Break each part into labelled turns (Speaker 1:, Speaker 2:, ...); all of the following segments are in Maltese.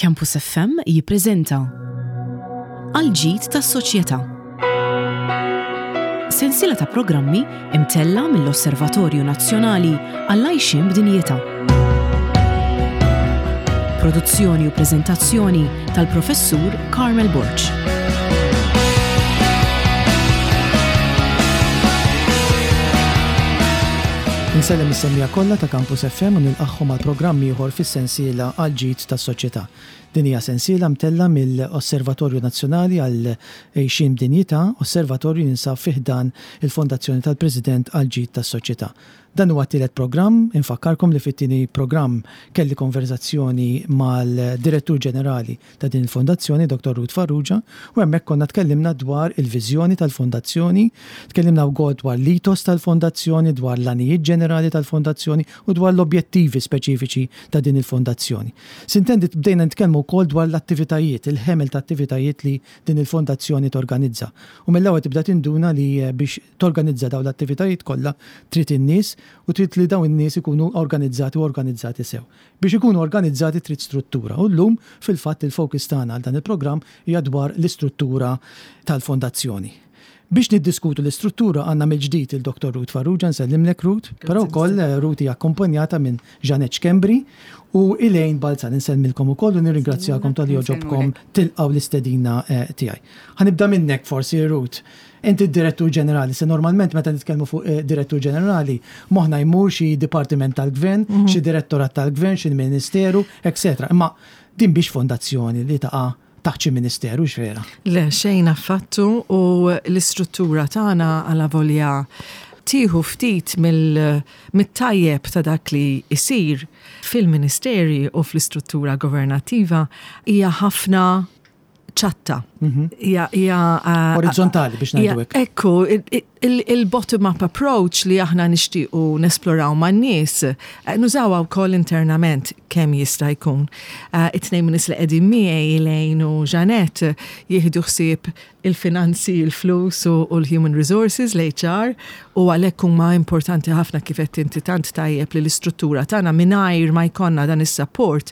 Speaker 1: Campus FM jippreżenta Għall-ġid tas-soċjetà. Sensiela ta' programmi imtella' mill-Osservatorju Nazzjonali għall-Għajxien b'Dinjità. Produzzjoni u preżentazzjoni tal-Professur Carmel Borg.
Speaker 2: Insellem is-semmiegħa kollha ta' Campus FM u nilqagħhom għal programm ieħor fis-sensiela Għall-Ġid tas-Soċjetà. Din hija sensiela mtellgħa mill-Osservatorju Nazzjonali għall-Għixien b'Dinjità, osservatorju li jinsab fi ħdan il-Fondazzjoni tal-President għall-Ġid tas-Soċjetà. Dan huwa t-tielet programm, infakkarkom li fit-tieni programm kelli konverżazzjoni mal-Direttur Ġenerali ta' din il-fondazzjoni, Dottor Ruth Farrugia, u hemmhekk konna tkellimna dwar il-viżjoni tal-fondazzjoni, tkellimna wkoll dwar l-ethos tal-fondazzjoni, dwar l-għanijiet ġenerali tal-fondazzjoni u dwar l-objettivi speċifiċi ta' din il-fondazzjoni. Sintendi bdejna nitkellmu wkoll dwar l-attivitajiet, il-ħemel ta' attivitajiet li din il-fondazzjoni torganizza. U mill-ewwel tibda tinduna li biex torganizza dawn l-attivitajiet kollha trid in-nies u trid li dawn in-nies ikunu organizzati u organizzati sew. Biex ikunu organizzati trid struttura u llum fil-fatt il-focus tagħna għal dan il-programm hija dwar l-istruttura tal-fondazzjoni. Biex niddiskutu l-istruttura għandna mill-ġdid il Dottor Ruth Farrugia, nsellimlek Ruth, però wkoll Ruth hija akkumpanjata minn Jeanette Schembri u Elaine Balzan, insellmilkom ukoll u nirringrazzjakom talli għoġobkom tilqgħu l-istedina tiegħi. Ħa nibda minnek forsi Ruth. Inti d-Direttur Ġenerali, se normalment meta nitkellmu fuq eh, Direttur Ġenerali, moħħna jmur xi dipartiment tal-gvern, mhm. xi direttorat tal-gvern, xi ministeru, etc. Imma din biex fondazzjoni li taqa' taħt xi ministeru x'vera.
Speaker 3: Le, xejn affattu u l-istruttura tagħna għala volja tieħu ftit mill-tajjeb ta' dak li jsir fil-ministeri u fl-istruttura governattiva hija ħafna ċatta.
Speaker 2: Mhm.
Speaker 3: Hija hija
Speaker 2: eh, orizzontali biex ngħidu hekk.
Speaker 3: Ekku, il-bottom-up approach li aħna nixtiequ nesploraw man-nies, eh, nużawha wkoll internament kemm jista' jkun. Eh, it-tnejn nies li qegħdin miegħi Elaine u Jeanette jieħdu ħsieb il-finanzi, il-flus u l-human resources, l-HR, u għalhekk huma importanti ħafna kif qed inti tant tajjeb li l-istruttura tagħna mingħajr ma jkollna dan is-support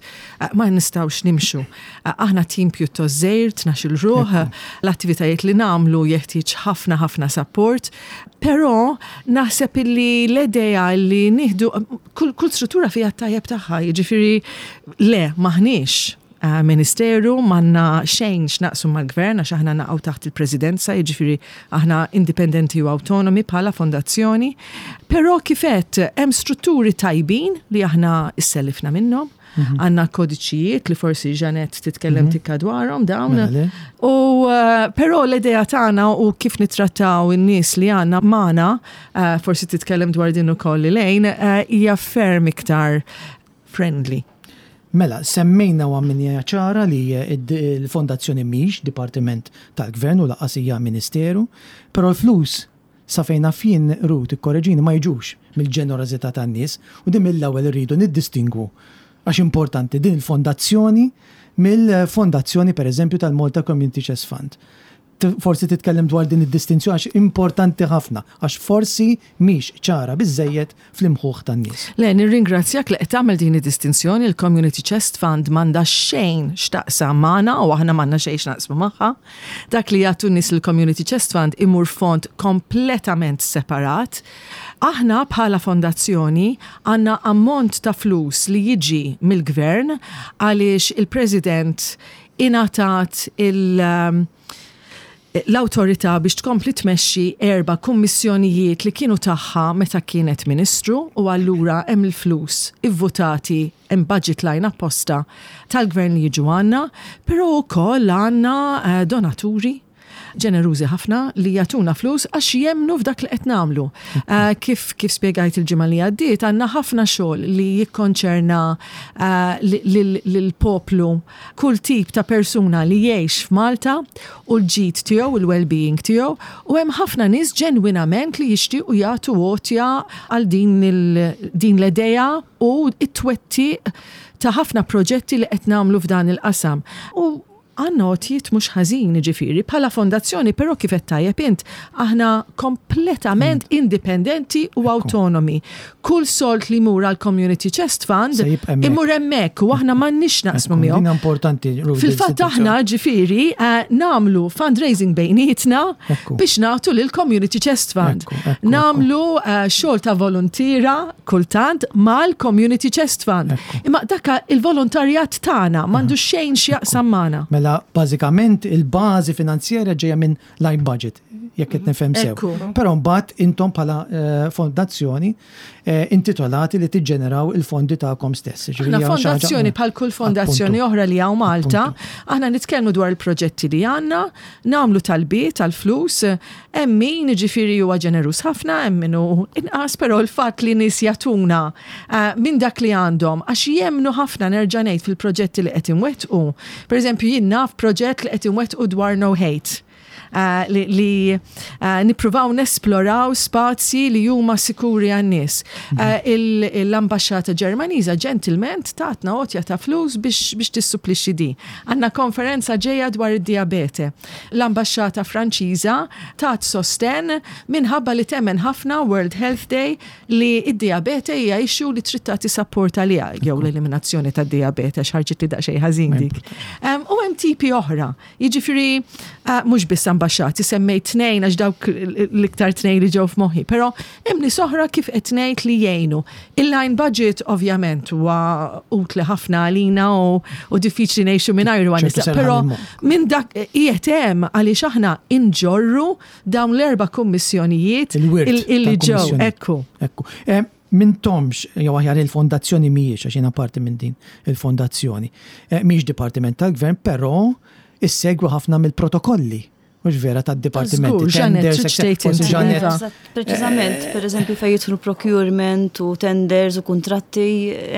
Speaker 3: ma nistgħux nimxu. Aħna tim pjuttost żgħir, 12-il ruħ, l-attivitajiet li nagħmlu jeħtieġ ħafna ħafna support, però naħseb illi l-idea li nieħdu kull, kull struttura fiha t-tajjeb tagħha, jiġifieri le maħniex eh, ministeru, m'għandna xejn x'naqsu mal-gvern għax aħna naqgħu taħt il-presidenza, jiġifieri aħna indipendenti u awtonomi bħala fondazzjoni. Però kif għedt hemm strutturi tajbin li aħna issellifna minnhom. Mhm. Għanna kodiċijiet li forsi Janet titkellem mhm. tikka dwarhom dawn. Mela, u eh, però l-idea tagħna u kif nittrattaw in-nies li għandna magħna, eh, forsi titkellem dwar din ukoll lejn, eh, hija ferm iktar friendly.
Speaker 2: Mela, semmejna u għamminja ċara li l-fondazzjoni mhix dipartiment tal-gvern u lanqas hija ministeru, però l-flus Sa fejn naf jien, Ruth, ikkoreġini, ma jiġux mill-ġenerożità tan-nies u din mill-ewwel irridu niddistingwu għax importanti din il-fondazzjoni mill-fondazzjoni pereżempju tal-Malta Community Chest Fund. Forsi titkellem dwar din id-distinzjoni għax importanti ħafna għax forsi mhix ċara biżżejjed fl-imħuħ tan-nies.
Speaker 3: Le, nirringrazzjak li qed tagħmel din id-distinzjoni, il-Community Chest Fund m'għandha xejn x'taqsam magħna u aħna m'għandna xejn x'naqsmu magħha. Dak li jagħtu n-nies lill-Community Chest Fund imur f'fond kompletament separat. Aħna bħala fondazzjoni għandna ammont ta' flus li jiġi mill-Gvern għaliex il-President ingħatat il- l-awtorità biex tkompli tmexxi erba' kummissjonijiet li kienu tagħha meta kienet Ministru u allura hemm il-flus ivvutati, hemm budget line apposta tal-Gvern li jiġu għandna, però wkoll għandna donaturi ġenerużi ħafna li jagħtuna flus għax jemmnu f'dak li qed nagħmlu. Kif kif spjegajt il-ġimgħa li għaddiet, għandna ħafna xogħol li jikkonċerna lill-poplu kull tip ta' persuna li jgħix f'Malta u l-ġid tiegħu, il-well-being tiegħu, u hemm ħafna nies ġenwinament li jixtiequ jagħtu għotja għal din din l-idea u t-twettiq ta' ħafna proġetti li qed nagħmlu f'dan il-qasam. U. Għandna għotjiet mhux ħażin, jiġifieri, bħala fondazzjoni, però kif għedt tajjeb int, aħna kompletament indipendenti u awtonomi. Kull sold li jmur għall-Community Chest Fund
Speaker 2: Se jibqa' hemmhekk.
Speaker 3: imur hemmhekk u aħna m'għandniex naqsmu
Speaker 2: Ekku,
Speaker 3: miegħu.
Speaker 2: Din importanti. Ruth,
Speaker 3: Fil-fatt aħna ġifieri eh, nagħmlu fundraising bejnietna
Speaker 2: Ekku.
Speaker 3: biex nagħtu lil Community Chest Fund.
Speaker 2: Ekku, ekku,
Speaker 3: Nagħmlu eh, xogħol ta' volontiera kultant mal-Community Chest Fund.
Speaker 2: Ekku.
Speaker 3: Imma daka il-volontarjat tagħna m'għandu xejn x'jaqsam magħna.
Speaker 2: Mela, bażikament il-bażi finanzjarja ġejja minn line budget, jekk qed nifhem sew.
Speaker 3: Ekku.
Speaker 2: Però mbagħad intom bħala eh, fondazzjoni eh, intitolati li tiġġeneraw il-fondi tagħkom stess. Ġifieri
Speaker 3: Aħna
Speaker 2: hija xi ħaġa-
Speaker 3: fondazzjoni bħal kull fondazzjoni
Speaker 2: Appuntu.
Speaker 3: oħra li hawn Malta,
Speaker 2: Appuntu.
Speaker 3: aħna nitkellmu dwar il-proġetti li għandna, nagħmlu talbiet tal-flus, hemm min jiġifieri huwa ġenerus ħafna, hemm min hu inqas, però l-fatt li nies jagħtuna eh, minn dak li għandhom għax jemnu ħafna nerġa' ngħid fil-proġetti li qed inwettqu. Pereżempju jien naf proġett li qed inwettqu dwar no hate. Eh, li, li eh, nippruvaw nesploraw spazji li huma sikuri għan-nies. Eh, il- L-ambasċata Ġermaniża ġentilment tatna għotja ta' flus biex, biex tissupplixxi di. Għandna konferenza ġejja dwar id-diabete. L-ambasċata Franċiża tat sosten minħabba li temmen ħafna World Health Day li id-diabete hija issue li trid tagħti support għaliha jew l-eliminazzjoni tad-diabete għax ħarġet li daqsxejn ħażin dik. Em, U hemm tipi oħra. Jiġifieri eh, mhux biss ambaxxati, semmejt tnejn għax dawk l-iktar tnejn li ġew f'moħħi, però hemm nies oħra kif qed ngħid li jgħinu. Il-line budget ovvjament huwa utli ħafna għalina u, u diffiċli ngħixu mingħajru
Speaker 2: ċertu
Speaker 3: għan-nisa,
Speaker 2: serħan
Speaker 3: però
Speaker 2: il-moħħ.
Speaker 3: minn dak qiegħed hemm għaliex aħna inġorru dawn l-erba' kummissjonijiet
Speaker 2: Il-wirt
Speaker 3: il- illi ġew,
Speaker 2: tal-kummissjoni.
Speaker 3: ekku.
Speaker 2: Ekku. Eh, Mintomx, jew aħjar il-fondazzjoni mhijiex, għax jiena parti minn din il-fondazzjoni. Eh, Mhijiex dipartiment tal-gvern, però issegwu ħafna mill-protokolli. Mhux vera tad-dipartimenti.
Speaker 3: Żgur, Janet,
Speaker 2: tenders,
Speaker 3: trid
Speaker 2: etc.
Speaker 3: tgħid
Speaker 2: Forsi
Speaker 3: inti,
Speaker 2: Janet,
Speaker 3: Iva.
Speaker 4: Eżatt, Preċiżament, per eżempju, fejn jidħlu procurement u tenders u kontratti,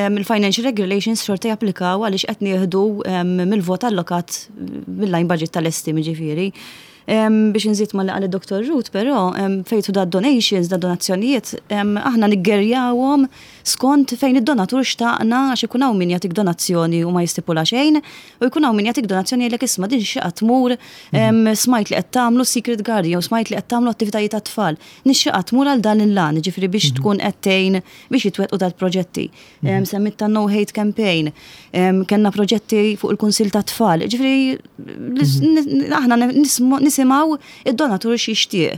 Speaker 4: em, il-financial regulations xorta japplikaw għaliex qed nieħdu em, mill-vot allokat mill-line budget tal-estim ġifieri. Em, Biex nżid ma li qal id-Dr. Ruth, però em, fejn jidħlu da donations, da donazzjonijiet, em, aħna niggerjawhom skont fejn id-donatur xtaqna għax ikun hawn min jagħtik donazzjoni u ma jistipula xejn, u jkun hawn min jagħtik donazzjoni jgħidlek isma' din xi tmur em, smajt li qed tagħmlu Secret Garden jew smajt li qed tagħmlu attivitajiet tat-tfal. Nixxieq tmur għal dan il-lan, ġifieri biex tkun qed tgħin biex jitwettqu dal-proġetti. Em, Semmit ta' No Hate Campaign, em, kellna proġetti fuq il-Kunsill tat-Tfal. Ġifieri lis- n- aħna nismu- nisimgħu id-donatur x'jixtieq.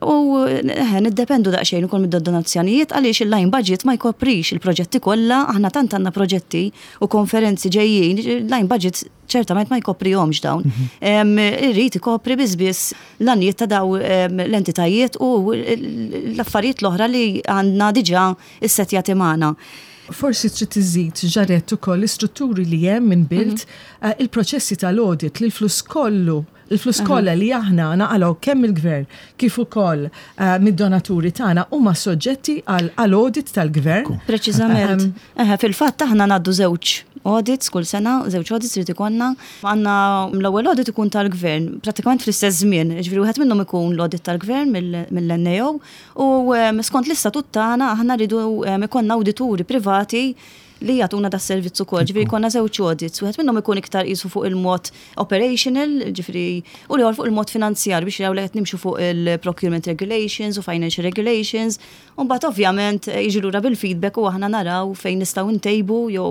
Speaker 4: U eh, niddependu daqsxejn ukoll mid-donazzjonijiet għaliex il-line budget ma jkoprix il-proġetti kollha, aħna tant għandna proġetti u konferenzi ġejjin, il-line budget ċertament ma jkoprihomx dawn. Em, Irrid ikopri biss biss l-għanijiet ta' daw em, l-entitajiet u l-affarijiet l-oħra li għandna diġà issetjati magħna.
Speaker 3: Forsi trid iżid ġaret ukoll l-istrutturi li hemm minn bilt, eh, il-proċessi tal-audit li l-flus kollu, il-flus kollha li aħna naqalgħu kemm il-gvern kif ukoll eh, mid-donaturi tagħna huma soġġetti għal għal audit tal-gvern.
Speaker 4: Preċiżament. Eħe, Fil-fatt aħna ngħaddu żewġ audits kull sena, żewġ audits li ikollna. Għandna l-ewwel audit ikun tal-gvern, prattikament fl-istess żmien, ġifieri wieħed minnhom ikun l-audit tal-gvern mill- mill-NAO u em, skont l-istatut tagħna aħna rridu em, ikollna awdituri privati li jagħtuna da servizz ukoll, ġifieri jkollna żewġ audits, wieħed minnhom ikun iktar qisu fuq il-mod operational, ġifieri u l-ieħor fuq il-mod finanzjar biex jaraw li qed nimxu fuq il-procurement regulations u financial regulations, u mbagħad ovvjament eh, jiġu lura bil-feedback u aħna naraw fejn nistgħu ntejbu jew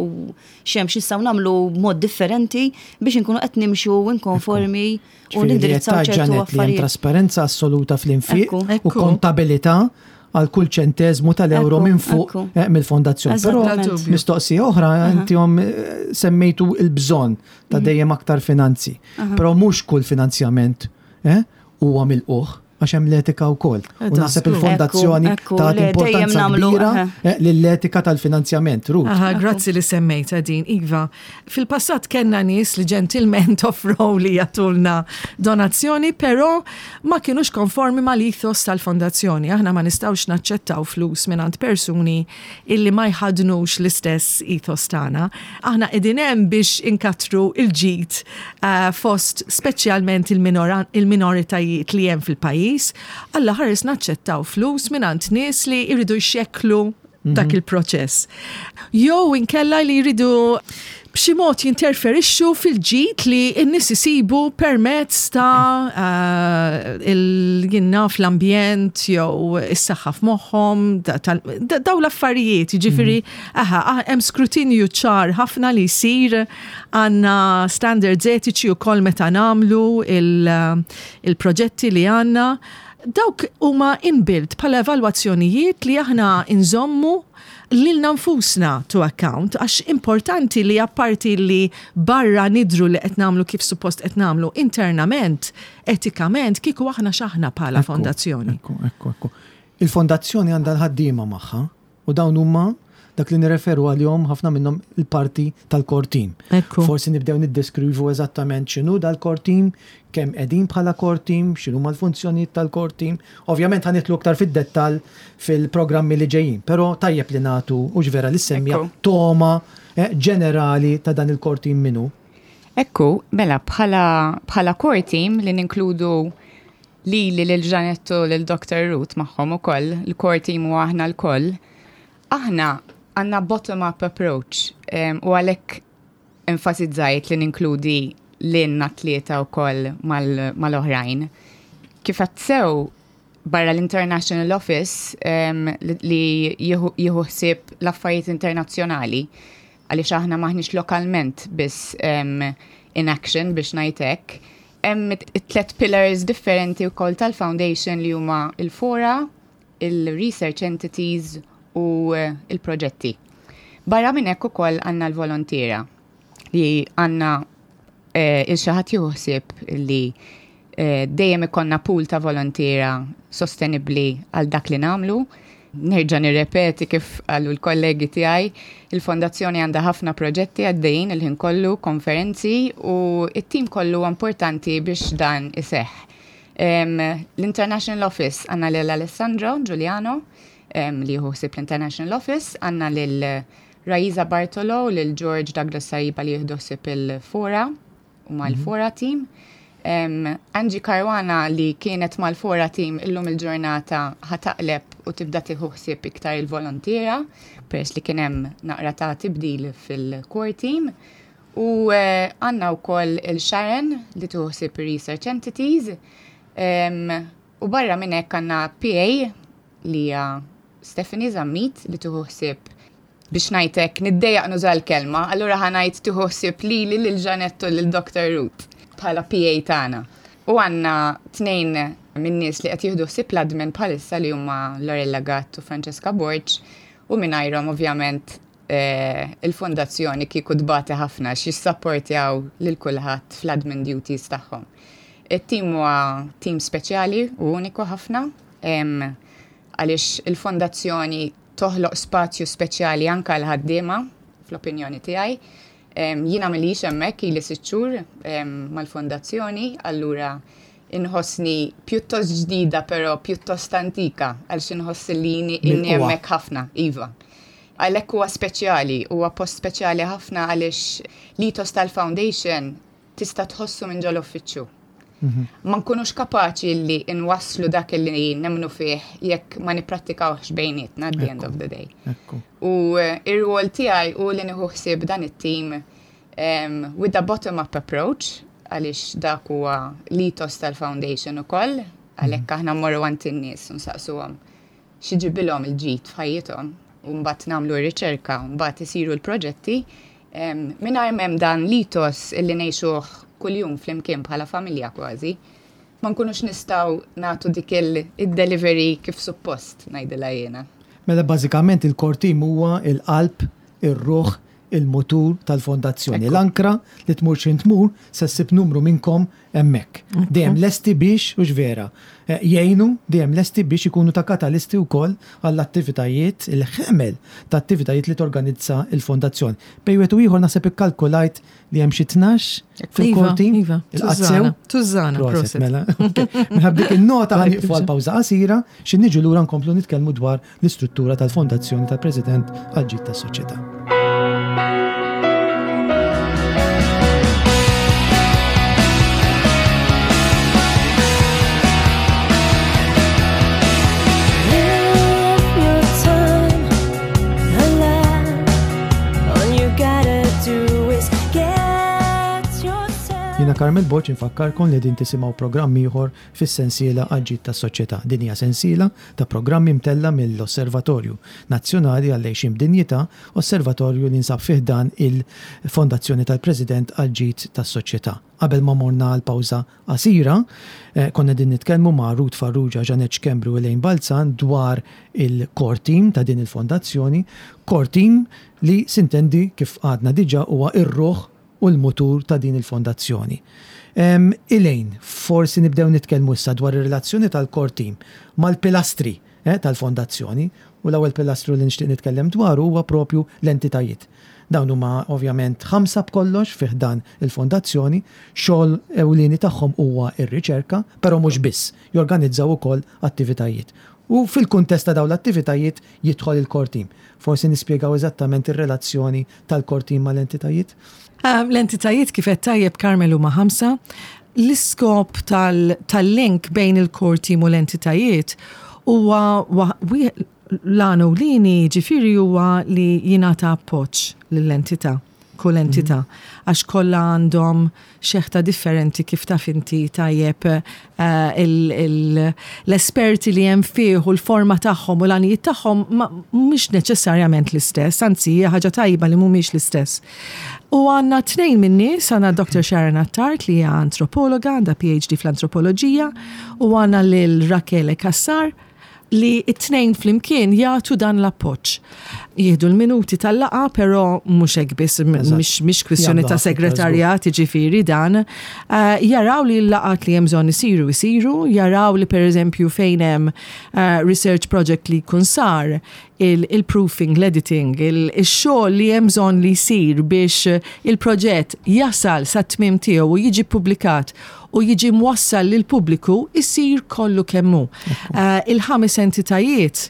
Speaker 4: x'hemm x'nistgħu nagħmlu b'mod differenti biex inkunu qed nimxu inkonformi u
Speaker 2: Ġifieri li
Speaker 4: nindirizzaw
Speaker 2: qed
Speaker 4: ċertu
Speaker 2: Janet li hemm
Speaker 4: affarijiet.
Speaker 2: trasparenza assoluta fl-infiq
Speaker 4: Ekku.
Speaker 2: u
Speaker 3: Ekku.
Speaker 2: kontabilità għal kull ċentezmu tal-euro
Speaker 4: Ekku,
Speaker 2: minn fuq
Speaker 4: ekku.
Speaker 2: eh, mill-fondazzjoni. Però
Speaker 4: Eżattament.
Speaker 3: Bla dubju.
Speaker 2: mistoqsija oħra intihom eh, semmejtu il-bżonn ta' dejjem aktar finanzi. Però mhux kull finanzjament eh, huwa milquh għax hemm l-etika wkoll. U
Speaker 3: Eh,
Speaker 2: naħseb
Speaker 3: żgur.
Speaker 2: il-fondazzjoni
Speaker 4: Ekku, ekku,
Speaker 2: tagħti
Speaker 4: le, dejjem
Speaker 2: importanza
Speaker 4: nagħmlu,
Speaker 2: kbira
Speaker 4: aha.
Speaker 2: eh, lill-etika tal-finanzjament. Ruth.
Speaker 3: Aha, grazzi li semmejta din, Iva. Fil-passat kellna nies li ġentilment offrow li jagħtulna donazzjoni, però ma kienux konformi mal-ethos tal-fondazzjoni. Aħna ma nistgħux naċċettaw flus mingħand persuni illi ma jħadnux l-istess ethos tagħna. Aħna qegħdin hemm biex inkatru il-ġid eh, fost speċjalment il-minora- il-minoritajiet li hemm fil-pajjiż. Alla ħares naċċettaw flus mingħand nies li jridu jxekklu dak il-proċess. Jew inkella li jridu b'xi mod jinterferixxu fil-ġid li n-nies isibu permezz ta' il naf l-ambjent jew is-saħħa f'moħħhom, daw l-affarijiet, jiġifieri aha, hemm skrutinju ċar ħafna li jsir, għandna standards etiċi wkoll meta nagħmlu il-proġetti li għandna. Dawk huma inbuilt bħala evalwazzjonijiet li aħna nżommu lilna nfusna to account, għax importanti li apparti li barra nidru li qed nagħmlu kif suppost qed nagħmlu internament, etikament, kieku aħna x'aħna bħala fondazzjoni.
Speaker 2: Ekku, ekku, ekku. Il-fondazzjoni għandha l-ħaddiema magħha u dawn huma dak li nirreferu għalihom ħafna minnhom il-parti tal-core team. Forsi nibdew niddeskrivu eżattament x'inhu dal-core team, kemm qegħdin bħala core team, x'inhu l-funzjonijiet tal-core team. Ovvjament ħa nidħlu aktar fid-dettall fil-programmi li ġejjin, però tajjeb li nagħtu u vera li semmija toma ġenerali ta' dan il-core team minnu.
Speaker 5: Ekku, mela bħala core team li ninkludu li lil Jeanette u lil Dr. Ruth magħhom ukoll, il-core team u aħna lkoll. Aħna għandna bottom-up approach u għalhekk enfasizzajt li ninkludi lilna tlieta wkoll mal-oħrajn. Kif sew barra l-International Office li jieħu ħsieb l-affarijiet internazzjonali, għaliex aħna maħniex lokalment biss in action biex ngħidlek. Hemm it-tlet pillars differenti wkoll tal-foundation li huma il-fora, il-research entities u il-proġetti. Barra minn hekk ukoll għandna l-volontiera li għandna il-xi ħadd juħsib li dejjem ikollna pool ta' volontiera sostenibli għal dak li nagħmlu. Nerġa' nirrepeti kif qalu l-kollegi tiegħi, il-fondazzjoni għandha ħafna proġetti għaddejjin il-ħin kollu, konferenzi u it-tim kollu importanti biex dan iseħħ. L-International Office għandna lil Alessandro Giuliano li hu ħsieb l-International Office, għandna lil Raisa Bartolo, lil George Douglas Sariba li jieħdu ħsieb il-fora u mal-fora team. Angie Caruana li kienet mal-fora team illum il-ġurnata ħa taqleb u tibda tieħu ħsieb iktar il-volontiera peress li kien hemm naqra ta' tibdil fil-core team. U għandna wkoll il-Sharon li tieħu ħsieb research entities. U barra minn hekk għandna PA li hija Stephanie Zammit li tieħu ħsieb, biex ngħidlek niddejjaq nuża l-kelma, allura ħa ngħid tieħu ħsieb lili, lil Jeanette u lil Dr. Ruth bħala PA tagħna. U għandna tnejn minn nies li qed jieħdu ħsieb l-admin bħalissa li huma Lorella Gatt u Francesca Borg u mingħajrhom ovvjament il-fondazzjoni kieku tbati ħafna x'jissapportjaw lil kulħadd fl-admin duties tagħhom. It-tim huwa tim speċjali u uniku ħafna għaliex il-fondazzjoni toħloq spazju speċjali anka l-ħaddiema fl-opinjoni tiegħi. Jiena m'ilix hemmhekk, ili 6 xhur mal-fondazzjoni, allura inħossni pjuttost ġdida però pjuttost antika għaliex inħoss li inni hemmhekk ħafna, iva. Għalhekk huwa speċjali, huwa post speċjali ħafna għaliex l-ethos tal-foundation tista' tħossu minn ġol-uffiċċju. Ma nkunux kapaċi li nwasslu dak li nemmnu fih jekk ma nipprattikawx bejnietna at the end of the day. U ir-rwol tiegħi u li nieħu ħsieb dan it-team with a bottom-up approach, għaliex dak huwa l-ethos tal-foundation ukoll, għalhekk aħna mmorru għand in-nies u nsaqsuhom x'iġibilhom il-ġid f'ħajjithom u mbagħad nagħmlu r-riċerka u mbagħad isiru l-proġetti. Mingħajr m'hemm dan l-ethos illi ngħixuh kuljum flimkien bħala familja kważi, ma nkunux nistgħu nagħtu dik il-delivery kif suppost, ngħidilha jiena.
Speaker 2: Mela bażikament il-core team huwa il-qalb, ir-ruħ, il-mutur tal-fondazzjoni. L-ankra li tmur x'ħin tmur se ssib numru minnkom hemmhekk. Dejjem lesti biex, u vera, jgħinu, dejjem lesti biex ikunu ta' katalisti wkoll għall-attivitajiet, il-ħemel ta' attivitajiet li torganizza il-fondazzjoni. Bejn wieħed u ieħor naħseb ikkalkulajt li hemm xi 12 fil-core team.
Speaker 3: Iva,
Speaker 2: Il-qazzew?
Speaker 3: Tużżana,
Speaker 2: Proset,
Speaker 3: proset.
Speaker 2: mela. Ok. Minħabba dik il-nota ħa nieqfu għal pawża qasira, xi niġu lura nkomplu nitkellmu dwar l-istruttura tal-Fondazzjoni tal-President għal-ġid tas-soċjetà.
Speaker 6: Live your time.
Speaker 2: Jiena Carmel Borg infakkarkom li qegħdin tisimgħu programm ieħor fis-sensiela Għall-Ġid tas-Soċjetà. Din hija sensiela ta' programmi mtellgħa mill-Osservatorju Nazzjonali għall-Għixien b'Dinjità, osservatorju li jinsab fi ħdan il-Fondazzjoni tal-President għall-Ġid tas-Soċjetà. Qabel ma morna għal pawża qasira, konna qegħdin nitkellmu ma' Ruth Farrugia, Jeanette Schembri u Elaine Balzan dwar il-core team ta' din il-fondazzjoni, core team li sintendi kif għadna diġà huwa r-ruħ u l-mutur ta' din il-fondazzjoni. Elaine, forsi nibdew nitkellmu issa dwar ir-relazzjoni tal-core team mal-pilastri tal-fondazzjoni u l-ewwel pilastru li nixtieq nitkellem dwaru huwa propju l-entitajiet. Dawn huma ovvjament ħamsa b'kollox fi ħdan il-fondazzjoni, xogħol ewlieni tagħhom huwa r-riċerka, però mhux biss, jorganizzaw ukoll attivitajiet. U fil-kuntest ta' dawn l-attivitajiet jidħol il-core team. Forsi nispjegaw eżattament ir-relazzjoni tal-core team mal-entitajiet?
Speaker 3: L-entitajiet kif għedt tajjeb Carmel huma ħamsa. L-iskop tal-link bejn il-core team u l-entitajiet huwa l-għan ewlieni jiġifieri huwa li jingħata appoġġ lill-entità, kull entità, għax kollha għandhom xeħta differenti kif taf inti tajjeb l-esperti li hemm fih u l-forma tagħhom u l-għanijiet tagħhom mhumiex neċessarjament l-istess, anzi hija ħaġa tajba li mhumiex l-istess. U għandna tnejn min-nies, għandna Dr. Sharon Attard li hija antropologa, għandha PhD fl-antropoloġija, u għandna lil Rachele Cassar, li t-tnejn flimkien jagħtu dan l-appoġġ. Jieħdu l-minuti tal-laqgħa, però mhux hekk biss, mhix kwistjoni ta' segretarjat, jiġifieri dan. Eh, jaraw li l-laqgħat li hemm bżonn isiru isiru, jaraw li pereżempju fejn hemm eh, research project li jkun sar, il-proofing, l-editing, il-xogħol li hemm bżonn li jsir biex il-proġett jasal sat-tmiem tiegħu u jiġi ppubblikat u jiġi mwassal lill-pubbliku jsir kollu kemm hu. Eh, il-ħames entitajiet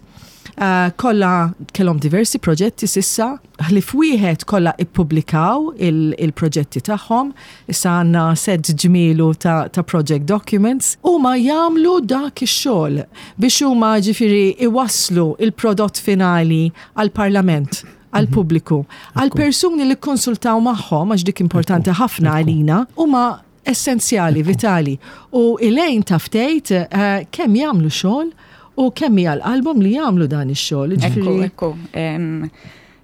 Speaker 3: eh, kollha kellhom diversi proġetti sissa, ħlief wieħed kollha ippubblikaw il-proġetti tagħhom, issa għandna set ġmielu ta', ta project documents, huma jagħmlu dak ix-xogħol biex huma ġifieri iwasslu il-prodott finali għall-Parlament għall-pubbliku, għall-persuni li kkonsultaw magħhom, għax dik importanti ħafna għalina, huma essenzjali, vitali. U Elaine taf tgħid eh, kemm jagħmlu xogħol u kemm hija l-qalbhom li jagħmlu dan ix-xogħol.
Speaker 5: Ekku, ekku.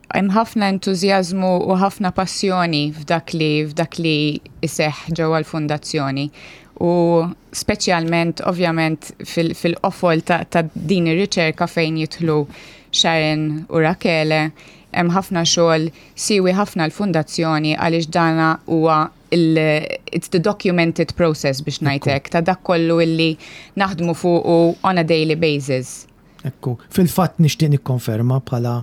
Speaker 5: Hemm ħafna entużjażmu u ħafna passjoni f'dak li f'dak li iseħħ ġewwa l-fundazzjoni. U speċjalment ovvjament fil-qofol ta', ta din ir-riċerka fejn jidħlu Sharon u Rachele, hemm ħafna xogħol siwi ħafna l-fundazzjoni għaliex dana huwa it's the documented process biex ngħid hekk ta' dak kollu illi naħdmu fuqu on a daily basis.
Speaker 2: Ekku, fil-fatt nixtieq nikkonferma bħala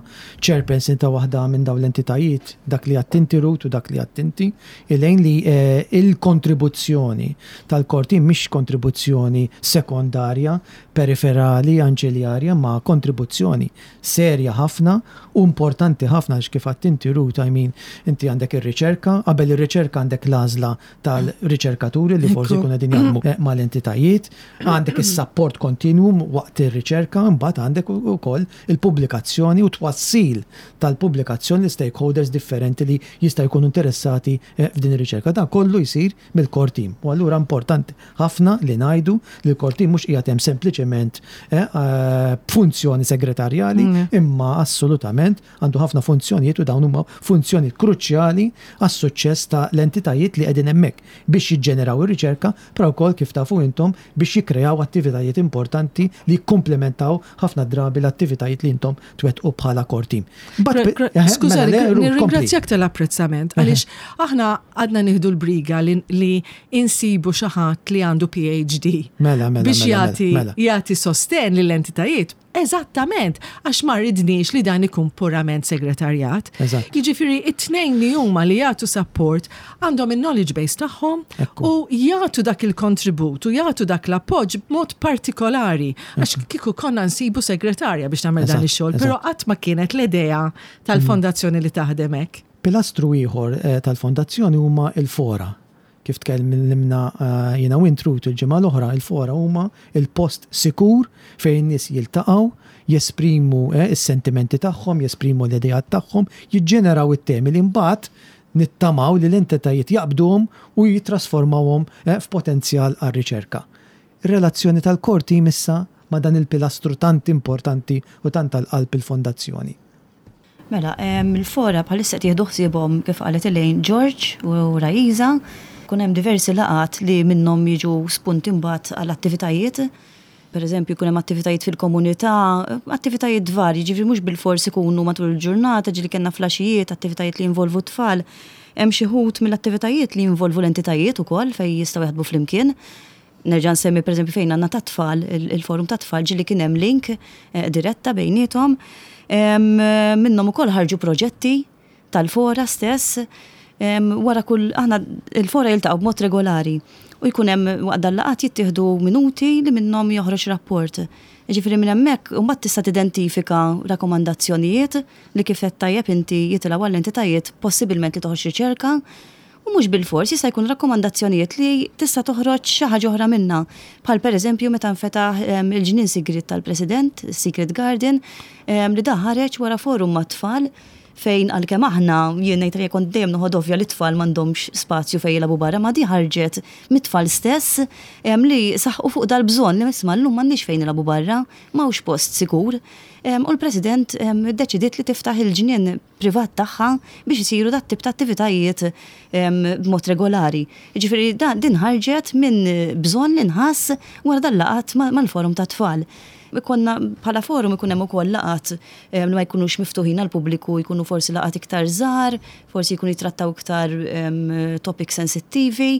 Speaker 2: chairperson ta' waħda minn dawn l-entitajiet dak li għedt inti Ruth u dak li għedt inti Elaine li eh, il-kontribuzzjoni tal-core team mhix kontribuzzjoni sekondarja, periferali, anċiljarja, ma kontribuzzjoni serja ħafna u importanti ħafna għax kif għedt inti Ruth, I mean, inti għandek ir-riċerka, qabel ir-riċerka għandek l-għażla tal-riċerkaturi li forsi jkunu qegħdin jaħdmu eh, mal-entitajiet, għandek is-sapport kontinwu waqt ir-riċerka, mbagħad għandek ukoll il-pubblikazzjoni u twassil tal-pubblikazzjoni l-stakeholders differenti li jista' jkunu interessati eh, f'din ir-riċerka. Dan kollu jsir mill-core team. U allura importanti ħafna li ngħidu li l-core team mhux qiegħed hemm sempliċement eh, eh, b'funzjoni segretarjali, mm. imma assolutament għandu ħafna funzjonijiet u dawn huma funzjonijiet kruċjali għas-suċċess ta' l-entitajiet li qegħdin hemmhekk biex jiġġeneraw ir-riċerka, però wkoll kif tafu intom biex jikkreaw attivitajiet importanti li jikkumplementaw ħafna drabi l-attivitajiet li intom twettqu bħala core team.
Speaker 3: Eh, Skuża, mela, nirringrazzjak tal-apprezzament għaliex aħna għadna nieħdu l-briga li insibu xi ħadd li għandu PhD.
Speaker 2: Mela, mela,
Speaker 3: biex
Speaker 2: mela,
Speaker 3: jagħti
Speaker 2: mela.
Speaker 3: jagħti sosten lill-entitajiet. Eżattament, għax ma ridniex li dan ikun purament segretarjat. Jiġifieri it-tnejn li huma li jagħtu support għandhom il-knowledge base tagħhom u jagħtu dak il-kontribut u jagħtu dak l-appoġġ b'mod partikolari. Għax kieku konna nsibu segretarja biex tagħmel dan ix-xogħol, però qatt ma kienet l-idea tal-fondazzjoni li taħdem hekk.
Speaker 2: Pilastru ieħor eh, tal-fondazzjoni huma il-fora. Kif tkellimna eh, jiena u int Ruth il-ġimgħa l-oħra, il-fora huma il-post sikur fejn in-nies jiltaqgħu, jesprimu eh, is-sentimenti tagħhom, jesprimu l-ideat tagħhom, jiġġeneraw it-temi li mbagħad. nittamaw li l-entitajiet jaqbduhom u jittrasformawhom f'potenzjal għar-riċerka. Ir-relazzjoni tal-core team issa ma' dan il-pilastru tant importanti u tant għal qalb il-Fondazzjoni.
Speaker 4: Mela, il-fora bħalissa qed jieħdu ħsiebhom kif qalet Elaine, George u Raisa. Ikun hemm diversi laqgħat li minnhom jiġu spunti mbagħad għal attivitajiet. Per eżempju, jkun hemm attivitajiet fil-komunità, attivitajiet varji, ġifieri mhux bilfors ikunu matul il-ġurnata, ġieli kellna flaxijiet, attivitajiet li jinvolvu t-tfal. Hemm xi wħud mill-attivitajiet li jinvolvu l-entitajiet ukoll fejn jistgħu jaħdmu flimkien. Nerġa' nsemmi pereżempju fejn għandna tat-tfal, il-forum tat-tfal ġieli kien hemm link diretta bejniethom. Minnhom ukoll ħarġu proġetti tal-fora stess. Wara kull aħna il-fora jiltaqgħu b'mod regolari u jkun hemm waqt dal-laqgħat jittieħdu minuti li minnhom joħroġ rapport. Jiġifieri minn hemmhekk imbagħad tista' tidentifika rakkomandazzjonijiet li kif għedt tajjeb inti jitilgħu għall-entitajiet possibilment li toħroġ riċerka U mhux bilfors, jista' jkun rakkomandazzjonijiet li tista' toħroġ xi ħaġa oħra minnha. Bħal pereżempju meta nfetaħ il-ġnien sigriet tal-President, is-Secret Garden, li dan ħareġ wara forum mat-tfal fejn għalkemm aħna, jien ngħid għalija kont dejjem noħod ovvja li t-tfal m'għandhomx spazju fejn jilagħbu barra, ma di ħarġet mit-tfal stess li saħqu fuq dal-bżonn li isma' llum m'għandniex fejn nilagħbu barra, m'hawnx post sikur. U l-President iddeċidiet li tiftaħ il-ġnien privat tagħha biex isiru dat-tip ta' attivitajiet b'mod regolari. Jiġifieri din ħarġet minn bżonn li nħass wara dal-laqgħat mal-forum tat-tfal. Ikollna bħala forum ikun hemm ukoll laqgħat li ma jkunux miftuħin għall-pubbliku, jkunu forsi laqgħat iktar żgħar, forsi jkunu jittrattaw iktar topics sensittivi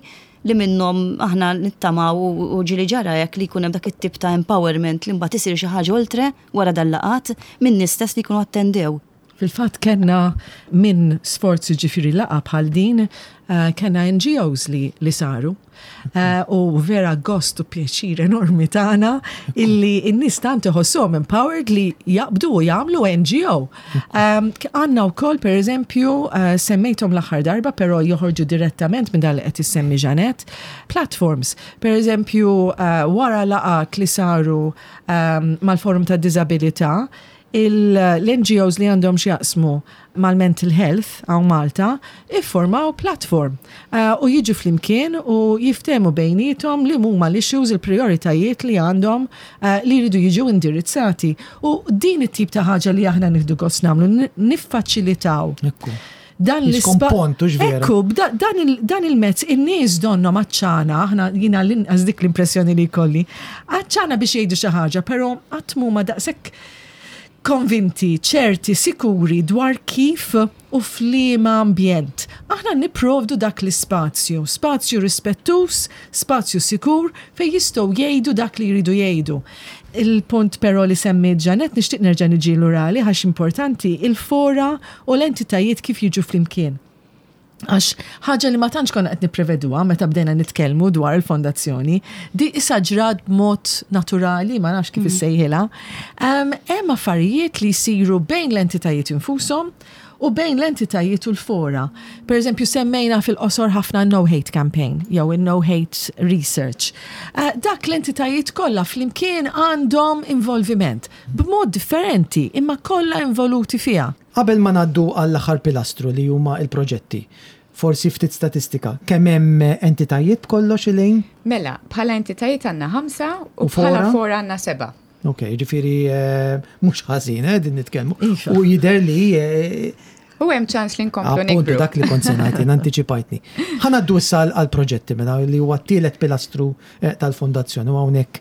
Speaker 4: li minnhom aħna nittamaw u ġieli ġara hekk li jkun hemm dak it-tip ta' empowerment li mbagħad isir xi ħaġa oltre wara dal-laqgħat min-nies stess li jkunu attendew.
Speaker 3: Fil-fatt kellna minn sforz jiġifieri laqgħa bħal din kellna NGOs li li saru. U vera gost u pjaċir enormi tagħna illi n-nies tant iħossuhom empowered li jaqbdu u jagħmlu NGO. Għandna wkoll pereżempju semmejthom l-aħħar darba però joħorġu direttament minn dan li qed issemmi Jeanette, platforms. Pereżempju wara laqgħat li saru mal-Forum tad-Diżabilità, l-NGOs li għandhom x'jaqsmu mal-mental health hawn Malta iffurmaw platform u jiġu flimkien u jiftehmu bejniethom li huma l-issues, il-prijoritajiet li għandhom li jridu jiġu indirizzati. U din it-tip ta' ħaġa li aħna nieħdu gost nagħmlu, niffaċilitaw.
Speaker 2: Dan l-ispont,
Speaker 3: Ekku, dan il-mezz, in-nies donnhom għatxana, aħna jiena l-inqas dik l-impressjoni li jkolli, għatxana biex jgħidu xi ħaġa, però qatt m'huma daqshekk konvinti, ċerti, sikuri dwar kif u f'liema ambjent. Aħna nipprovdu dak l-ispazju, spazju rispettuż, spazju sikur fejn jistgħu jgħidu dak li jridu jgħidu. Il-punt però li semmiet Jeanette nixtieq nerġa' niġi lura għalih għax importanti, il-fora u l-entitajiet kif jiġu flimkien. Għax ħaġa li ma tantx konna qed nippreveduha meta bdejna nitkellmu dwar il-fondazzjoni, di issa ġrat b'mod naturali, ma nafx kif mhm. issejħilha. Hemm affarijiet li jsiru bejn l-entitajiet infushom u bejn l-entitajiet u l-fora. Per eżempju, semmejna fil-qosor ħafna No Hate Campaign, jew il-No Hate Research. Eh, dak l-entitajiet kollha flimkien għandhom involviment b'mod differenti imma kollha involuti fiha.
Speaker 2: Qabel ma ngħaddu għall-aħħar pilastru li huma l-proġetti, forsi ftit statistika. Kemm hemm entitajiet b'kollox, Elaine?
Speaker 5: Mela, bħala entitajiet għandna ħamsa u bħala fora għandna sebgħa.
Speaker 2: Ok, jiġifieri mhux ħażin, eh, din nitkellmu. Iva. U jidher li
Speaker 5: U hemm ċans li nkomplu nikbru.
Speaker 2: Dak li kont se ngħid, antiċipajtni. Ħa ngħaddu issa għall-proġetti mela li huwa t-tielet pilastru tal-fondazzjoni u hawnhekk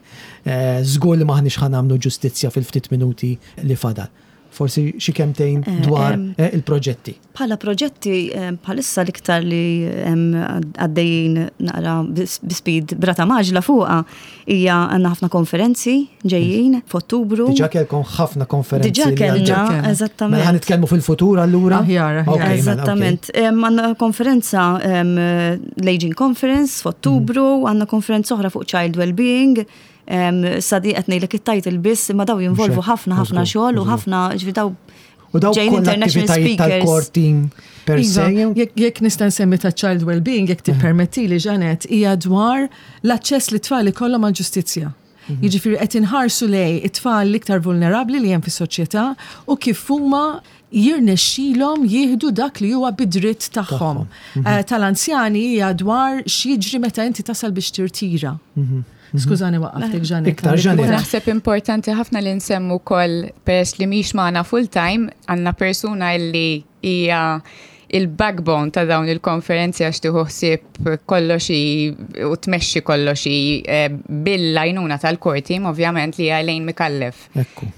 Speaker 2: żgur li m'aħniex ħa nagħmlu ġustizzja fil-ftit minuti li fadal. Forsi xi kemtejn eh, dwar eh, il-proġetti.
Speaker 4: Bħala proġetti eh, bħalissa l-iktar li għaddejjin naqra bi-speed brata maġla fuqa hija għandna ħafna konferenzi ġejjin f'Ottubru.
Speaker 2: Diġà kellkom ħafna konferenzi.
Speaker 4: Diġà kellna, eżattament.
Speaker 2: Mela nitkellmu fil-futur allura?
Speaker 3: Aħjar, aħjar.
Speaker 4: Mela, eżattament. Għandna konferenza l-Aging Conference f'Ottubru, mm. għandna konferenza oħra fuq Child Wellbeing Sa di qed ngħidlek it-title biss, imma daw jinvolvu ħafna ħafna xogħol u ħafna ġifi daw
Speaker 2: U daw ġejjin international speakers. Tal-core team per
Speaker 3: iva, se. Jekk nista' nsemmi ta' child well-being, jekk tippermettili Janet, hija dwar l-aċċess li tfal ikollhom għall-ġustizzja. Mhm. Jiġifieri qed inħarsu lej it-tfal l-iktar vulnerabbli li hemm fis-soċjetà u kif huma jirnexxilhom jieħdu dak li huwa bidritt tagħhom. Eh, tal-anzjani hija dwar x'jiġri meta inti tasal biex tirtira. Skużani waqqaftek Ġanet.
Speaker 2: Iktar Ġanet.
Speaker 5: Naħseb importanti ħafna li nsemmu wkoll peress li mhix magħna full time għandna persuna li hija il-backbone ta' dawn il-konferenzi għax tieħu ħsieb kollox u tmexxi kollox eh, bil-għajnuna tal-core team ovvjament li hija Elaine Micallef.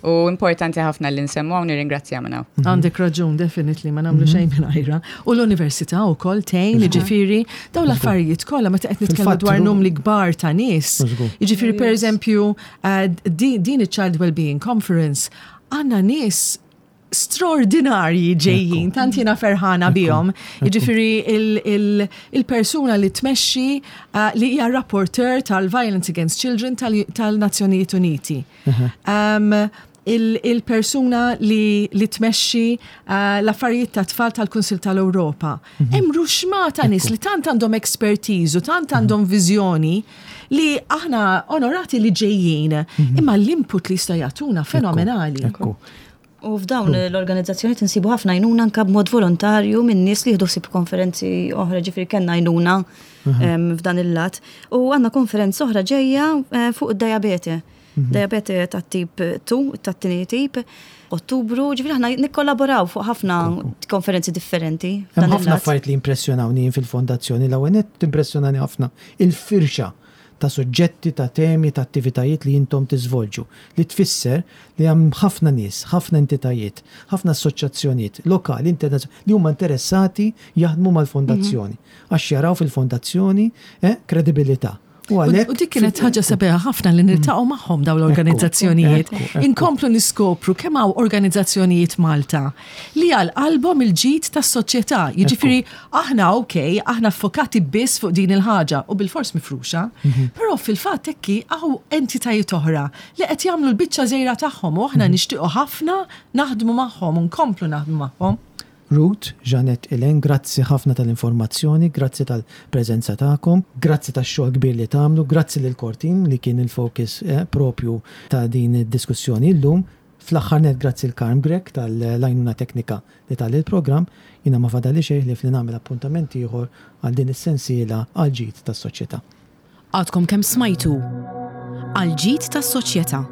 Speaker 5: U importanti ħafna li nsemmu hawn nirringrazzja minn hawn.
Speaker 3: Għandek raġun, definitely, ma nagħmlu xejn mingħajrha. U l-università wkoll tgħin, jiġifieri dawn l-affarijiet kollha meta qed nitkellmu dwar numri kbar ta' nies. Jiġifieri pereżempju eh, din iċ-Child Wellbeing Conference għandna nies straordinarji ġejjin, tant jiena ferħana bihom. Jiġifieri il-persuna li tmexxi eh, li hija rapporteur tal-Violence Against Children tal-Nazzjonijiet Uniti. Um, il-persuna li, li tmexxi uh, l-affarijiet ta' tfal tal-Kunsil tal-Ewropa. Mhm. Hemm ruxma ta' nies li tant għandhom expertise u tant għandhom viżjoni li aħna onorati li ġejjin, mhm. imma l-input li jista' jagħtuna fenomenali.
Speaker 2: Ekku.
Speaker 4: U f'dawn l-organizzazzjoni tinsibu ħafna għajnuna anka b'mod volontarju minn nies li jieħdu ħsieb konferenzi oħra ġifieri kellna għajnuna f'dan il-lat. U għandna konferenza oħra ġejja eh, fuq id-diabete. Mhm. Diabete ta' tip 2, ta' tieni tip, Ottubru, ġifieri aħna nikkollaboraw fuq ħafna konferenzi differenti.
Speaker 2: Hemm ħafna affarijiet li impressjonawni fil-fondazzjoni l-ewwel nett timpressjonani ħafna il-firxa ta' suġġetti, ta' temi, ta' attivitajiet li intom tiżvolġu, li tfisser li hemm ħafna nies, ħafna entitajiet, ħafna assoċjazzjonijiet lokali, internazzjonali li huma interessati jaħdmu mal-fondazzjoni għax jaraw fil-fondazzjoni eh, kredibilità.
Speaker 3: U għalhekk. U dik kienet ħaġa sabiħa ħafna li niltaqgħu magħhom dawn l-organizzazzjonijiet. Inkomplu niskopru kemm hawn organizzazzjonijiet Malta li għal qalbhom il-ġid tas-soċjetà. Jiġifieri aħna ok, aħna ffokati biss fuq din il-ħaġa u bilfors mifruxa, mhm. però fil-fatt hekk hawn entitajiet oħra li qed jagħmlu l-biċċa żgħira tagħhom u aħna mhm. nixtiequ ħafna naħdmu magħhom u nkomplu naħdmu magħhom.
Speaker 2: Ruth, Jeanette, Elaine, grazzi ħafna tal-informazzjoni, grazzi tal-preżenza tagħkom, grazzi tax-xogħol kbir li tagħmlu, grazzi lil core team li kien il-focus eh, propju ta' din id-diskussjoni llum. Fl-aħħar nett grazzi 'l Carm Grech tal-għajnuna teknika li ta lill-programm. Jiena ma fadalli xejn ħlief li nagħmel appuntament ieħor għal din is-sensiela għall-ġid tas-soċjetà.
Speaker 1: Għadkom kemm smajtu Għall-ġid tas-soċjetà.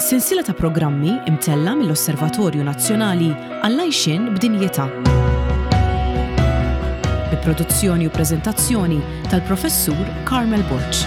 Speaker 1: Sensiela ta' programmi imtella' mill-Osservatorju Nazzjonali għall-Għajxien b'Dinjità. Bi produzzjoni u preżentazzjoni tal-Professur Carmel Borg.